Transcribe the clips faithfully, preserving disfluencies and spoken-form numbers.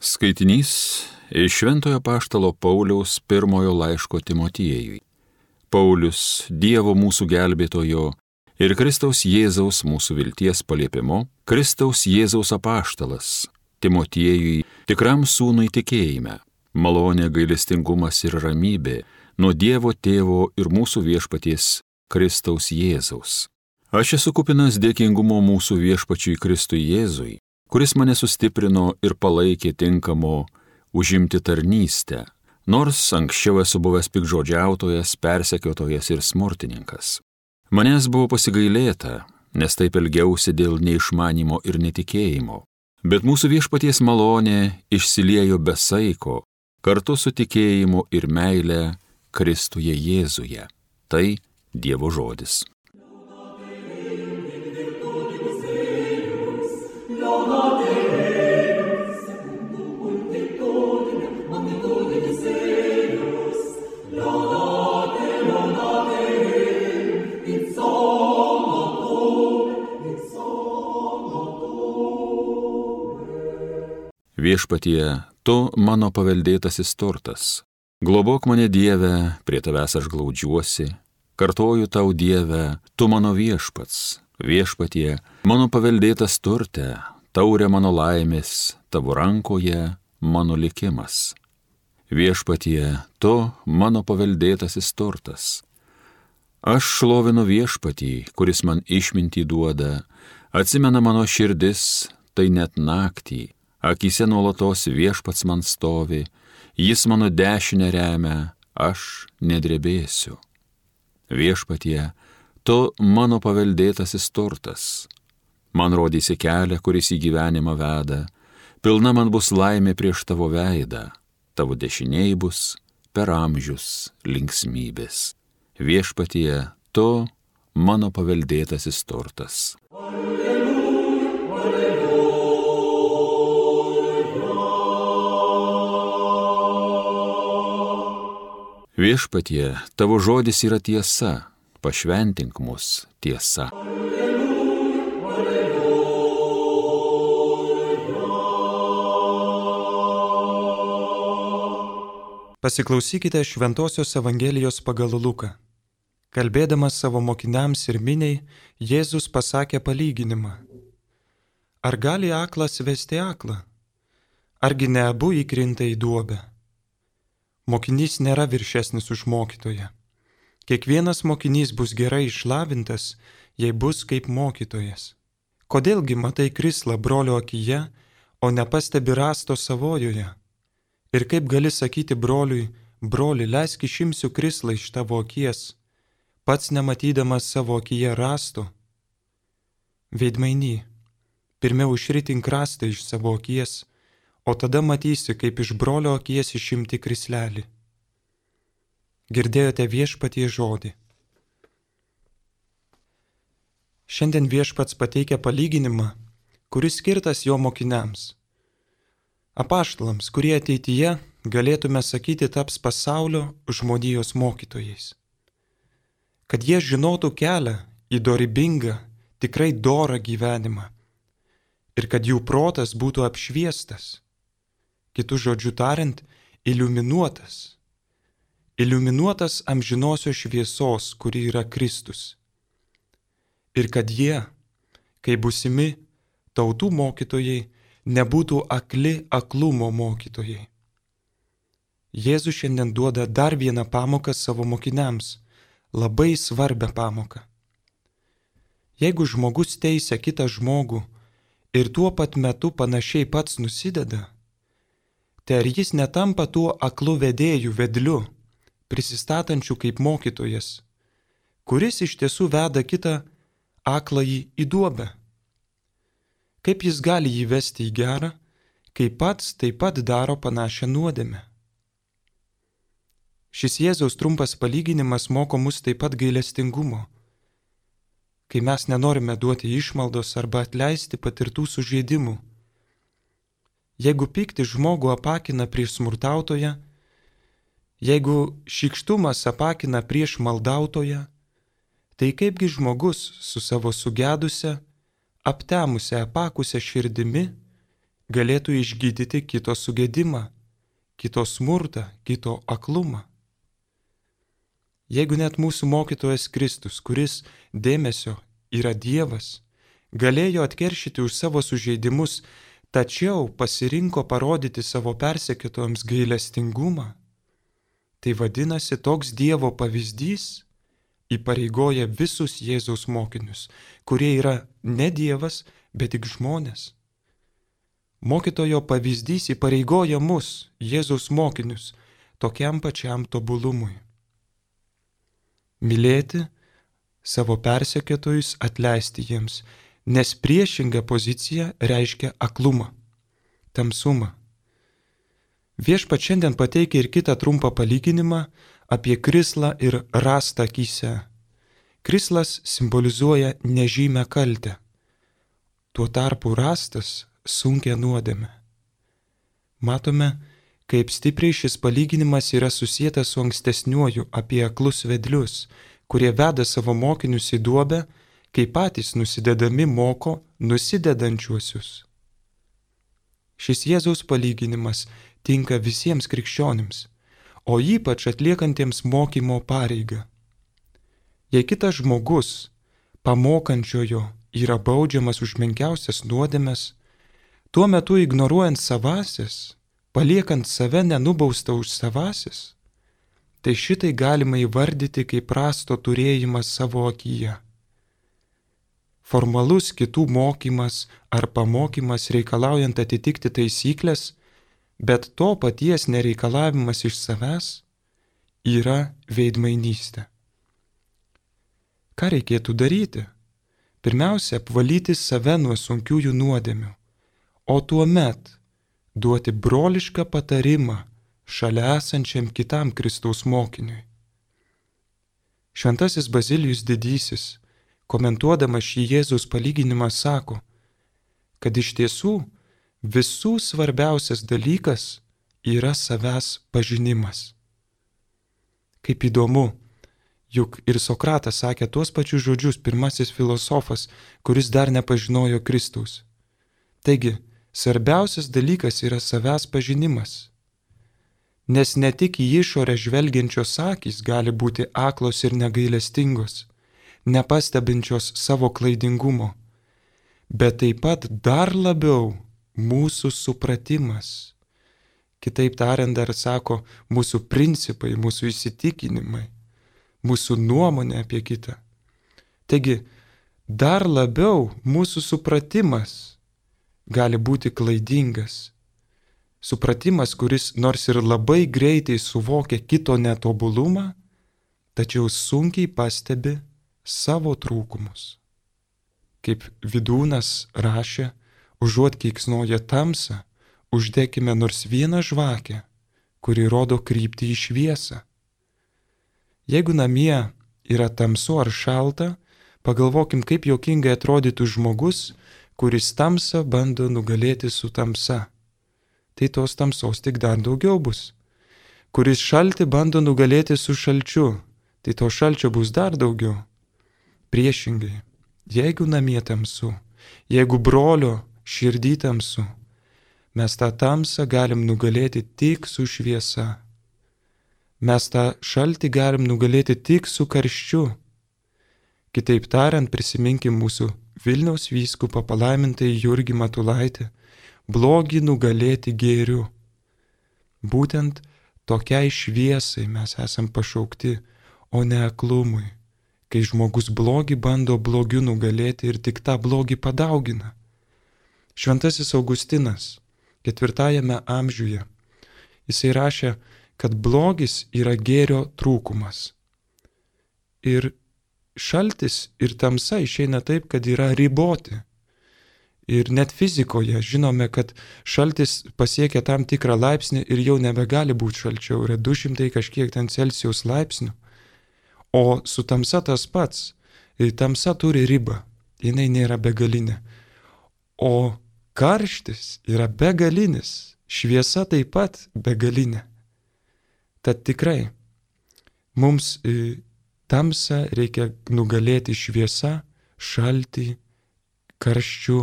Skaitinys iš Šventojo apaštalo Pauliaus pirmojo laiško Timotiejui. Paulius, Dievo mūsų gelbėtojo ir Kristaus Jėzaus mūsų vilties paliepimu, Kristaus Jėzaus apaštalas, Timotiejui, tikram sūnui tikėjime, malonė, gailestingumas ir ramybė nuo Dievo Tėvo ir mūsų viešpaties Kristaus Jėzaus. Aš esu kupinas dėkingumo mūsų viešpačiui Kristui Jėzui, kuris mane sustiprino ir palaikė tinkamo užimti tarnystę, nors anksčiau esu buvęs pikžodžiautojas, persekiotojas ir smurtininkas. Manęs buvo pasigailėta, nes taip elgiausi dėl neišmanimo ir netikėjimo, bet mūsų viešpaties malonė išsiliejo be saiko, kartu su tikėjimu ir meile Kristuje Jėzuje. Tai Dievo žodis. Viešpatie, tu mano paveldėtasis turtas. Globok mane, Dieve, prie tavęs aš glaudžiuosi. Kartoju tau, Dieve, tu mano viešpats. Viešpatie, mano paveldėtas turte, taurė mano laimės, tavo rankoje mano likimas. Viešpatie, tu mano paveldėtasis turtas. Aš šlovinu viešpatį, kuris man išmintį duoda, atsimena mano širdis, tai net naktį. Akyse nuolatos viešpats man stovi, jis mano dešinę remia, aš nedrebėsiu. Viešpatie, tu mano paveldėtasis turtas. Man rodysi kelią, kuris į gyvenimą veda, pilna man bus laimė prieš tavo veidą, tavo dešiniai bus per amžius linksmybės. Viešpatie, tu mano paveldėtasis turtas. Viešpatie, tavo žodis yra tiesa, pašventink mus tiesa. Pasiklausykite Šventosios Evangelijos pagal Luką. Kalbėdamas savo mokiniams ir miniai, Jėzus pasakė palyginimą. Ar gali aklas vesti aklą? Argi ne abu įkrinta į duobę? Mokinys nėra viršesnis už mokytoją. Kiekvienas mokinys bus gerai išlavintas, jei bus kaip mokytojas. Kodėlgi matai krislą brolio akyje, o nepastebi rasto savojoje? Ir kaip gali sakyti broliui, broli, leisk išimsiu krislą iš tavo akies, pats nematydamas savo akyje rasto? Veidmainy, pirmiau išritink rastą iš savo akies, o tada matysi, kaip iš brolio akies išimti krislelį. Girdėjote viešpatie žodį. Šiandien viešpats pateikia palyginimą, kuris skirtas jo mokiniams. Apaštalams, kurie ateityje, galėtume sakyti, taps pasaulio žmonijos mokytojais. Kad jie žinotų kelią į dorybingą, tikrai dorą gyvenimą ir kad jų protas būtų apšviestas. Kitu žodžiu tariant, iliuminuotas. Iliuminuotas amžinosios šviesos, kuri yra Kristus. Ir kad jie, kai būsimi tautų mokytojai, nebūtų akli aklumo mokytojai. Jėzus šiandien duoda dar vieną pamoką savo mokiniams, labai svarbią pamoką. Jeigu žmogus teisia kitą žmogų ir tuo pat metu panašiai pats nusideda, tai ar jis netampa tuo aklu vedėju vedliu, prisistatančiu kaip mokytojas, kuris iš tiesų veda kitą akląjį į duobę? Kaip jis gali jį vesti į gerą, kai pats taip pat daro panašią nuodėmę? Šis Jėzaus trumpas palyginimas moko mus taip pat gailestingumo, kai mes nenorime duoti išmaldos arba atleisti patirtų sužeidimų. Jeigu pykti žmogų apakina prieš smurtautoją, jeigu šykštumas apakina prieš maldautoją, tai kaipgi žmogus su savo sugedusia, aptemusia, apakusia širdimi galėtų išgydyti kito sugėdimą, kito smurtą, kito aklumą. Jeigu net mūsų mokytojas Kristus, kuris dėmesio yra Dievas, galėjo atkeršyti už savo sužeidimus, tačiau pasirinko parodyti savo persekiotojams gailestingumą, tai vadinasi, toks Dievo pavyzdys įpareigoja visus Jėzaus mokinius, kurie yra ne Dievas, bet tik žmonės. Mokytojo pavyzdys įpareigoja mus, Jėzaus mokinius, tokiam pačiam tobulumui. Mylėti savo persekiotojus, atleisti jiems, nes priešinga pozicija reiškia aklumą, tamsumą. Viešpats šiandien pateikia ir kitą trumpą palyginimą apie krislą ir rastą akyse. Krislas simbolizuoja nežymę kaltę, tuo tarpu rastas sunkia nuodėmė. Matome, kaip stipriai šis palyginimas yra susietas su ankstesniuoju apie aklus vedlius, kurie veda savo mokinius į duobę, kai patys nusidedami moko nusidedančiuosius. Šis Jėzaus palyginimas tinka visiems krikščionims, o ypač atliekantiems mokymo pareigą. Jei kitas žmogus, pamokančiojo, yra baudžiamas už menkiausias nuodėmes, tuo metu ignoruojant savasis, paliekant save nenubaustą už savasis, tai šitai galima įvardyti kaip rasto turėjimas savo akyje. Formalus kitų mokymas ar pamokymas reikalaujant atitikti taisyklės, bet to paties nereikalavimas iš savęs yra veidmainystė. Ką reikėtų daryti? Pirmiausia, apvalyti save nuo sunkiųjų nuodėmių, o tuomet duoti brolišką patarimą šalia esančiam kitam Kristaus mokiniui. Šventasis Bazilijus Didysis, komentuodamas šį Jėzaus palyginimą, sako, kad iš tiesų visų svarbiausias dalykas yra savęs pažinimas. Kaip įdomu, juk ir Sokratas sakė tuos pačius žodžius, pirmasis filosofas, kuris dar nepažinojo Kristaus. Taigi, svarbiausias dalykas yra savęs pažinimas. Nes ne tik į išorę žvelgiančios akys gali būti aklos ir negailestingos, nepastebinčios savo klaidingumo, bet taip pat dar labiau mūsų supratimas. Kitaip tariant, dar sako, mūsų principai, mūsų įsitikinimai, mūsų nuomonė apie kitą. Taigi, dar labiau mūsų supratimas gali būti klaidingas. Supratimas, kuris nors ir labai greitai suvokia kito netobulumą, tačiau sunkiai pastebi savo trūkumus. Kaip Vidūnas rašė, užuot keiksnoję tamsą, uždekime nors vieną žvakę, kuri rodo kryptį į šviesą. Jeigu namie yra tamsu ar šalta, pagalvokim, kaip juokingai atrodytų žmogus, kuris tamsą bando nugalėti su tamsa. Tai tos tamsos tik dar daugiau bus. Kuris šaltį bando nugalėti su šalčiu, tai to šalčio bus dar daugiau. Priešingai, jeigu namie tamsu, jeigu brolio širdį tamsu, mes tą tamsą galim nugalėti tik su šviesa. Mes tą šaltį galim nugalėti tik su karščiu. Kitaip tariant, prisiminkim mūsų Vilniaus vyskupą palaimintąjį Jurgį Matulaitį, blogį nugalėti gėriu. Būtent tokiai šviesai mes esam pašaukti, o ne aklumui, kai žmogus blogį bando blogiu nugalėti ir tik tą blogį padaugina. Šventasis Augustinas, ketvirtajame amžiuje, jisai rašė, kad blogis yra gėrio trūkumas. Ir šaltis ir tamsa išeina taip, kad yra riboti. Ir net fizikoje žinome, kad šaltis pasiekia tam tikrą laipsnį ir jau nebegali būti šalčiau, yra du šimtai kažkiek ten Celsijaus laipsnių. O su tamsa tas pats. Ir tamsa turi ribą, jinai nėra begalinė. O karštis yra begalinis, šviesa taip pat begalinė. Tad tikrai, mums tamsą reikia nugalėti šviesa, šaltį, karščiu,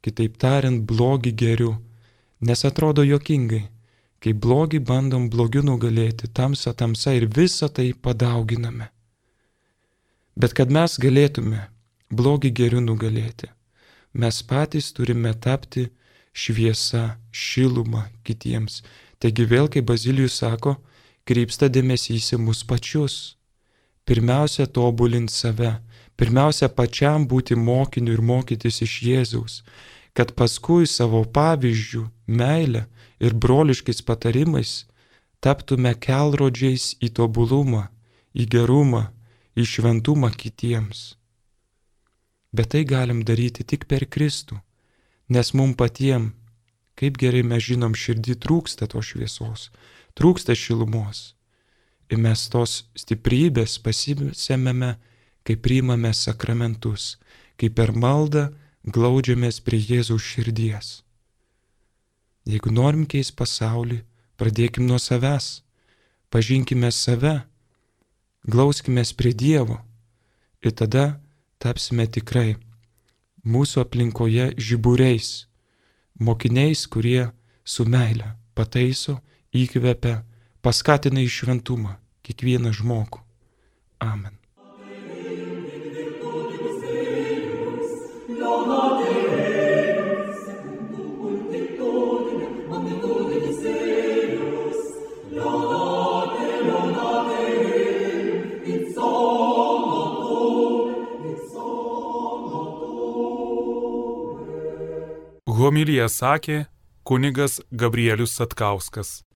kitaip tariant, blogį gėriu. Nes atrodo juokingai, kai blogį bandom blogiu nugalėti, tamsa tamsa ir visą tai padauginame. Bet kad mes galėtume blogį geriu nugalėti, mes patys turime tapti šviesa, šiluma kitiems. Taigi vėl, kaip Bazilijus sako, krypsta dėmesys į mus pačius. Pirmiausia, tobulint save. Pirmiausia, pačiam būti mokiniu ir mokytis iš Jėzaus, kad paskui savo pavyzdžių, meilę ir broliškais patarimais taptume kelrodžiais į tobulumą, į gerumą, į šventumą kitiems. Bet tai galim daryti tik per Kristų, nes mum patiem, kaip gerai mes žinom, širdį trūksta tos šviesos, trūksta šilumos. Ir mes tos stiprybės pasisemėme, kai priimame sakramentus, kai per maldą glaudžiamės prie Jėzaus širdies. Jeigu norim keist pasaulį, pradėkim nuo savęs, pažinkime save, glauskimės prie Dievo ir tada tapsime tikrai mūsų aplinkoje žiburiais, mokiniais, kurie su meile pataiso, įkvepia, paskatina į šventumą kiekvieną žmogų. Amen. Homiliją sakė kunigas Gabrielius Satkauskas.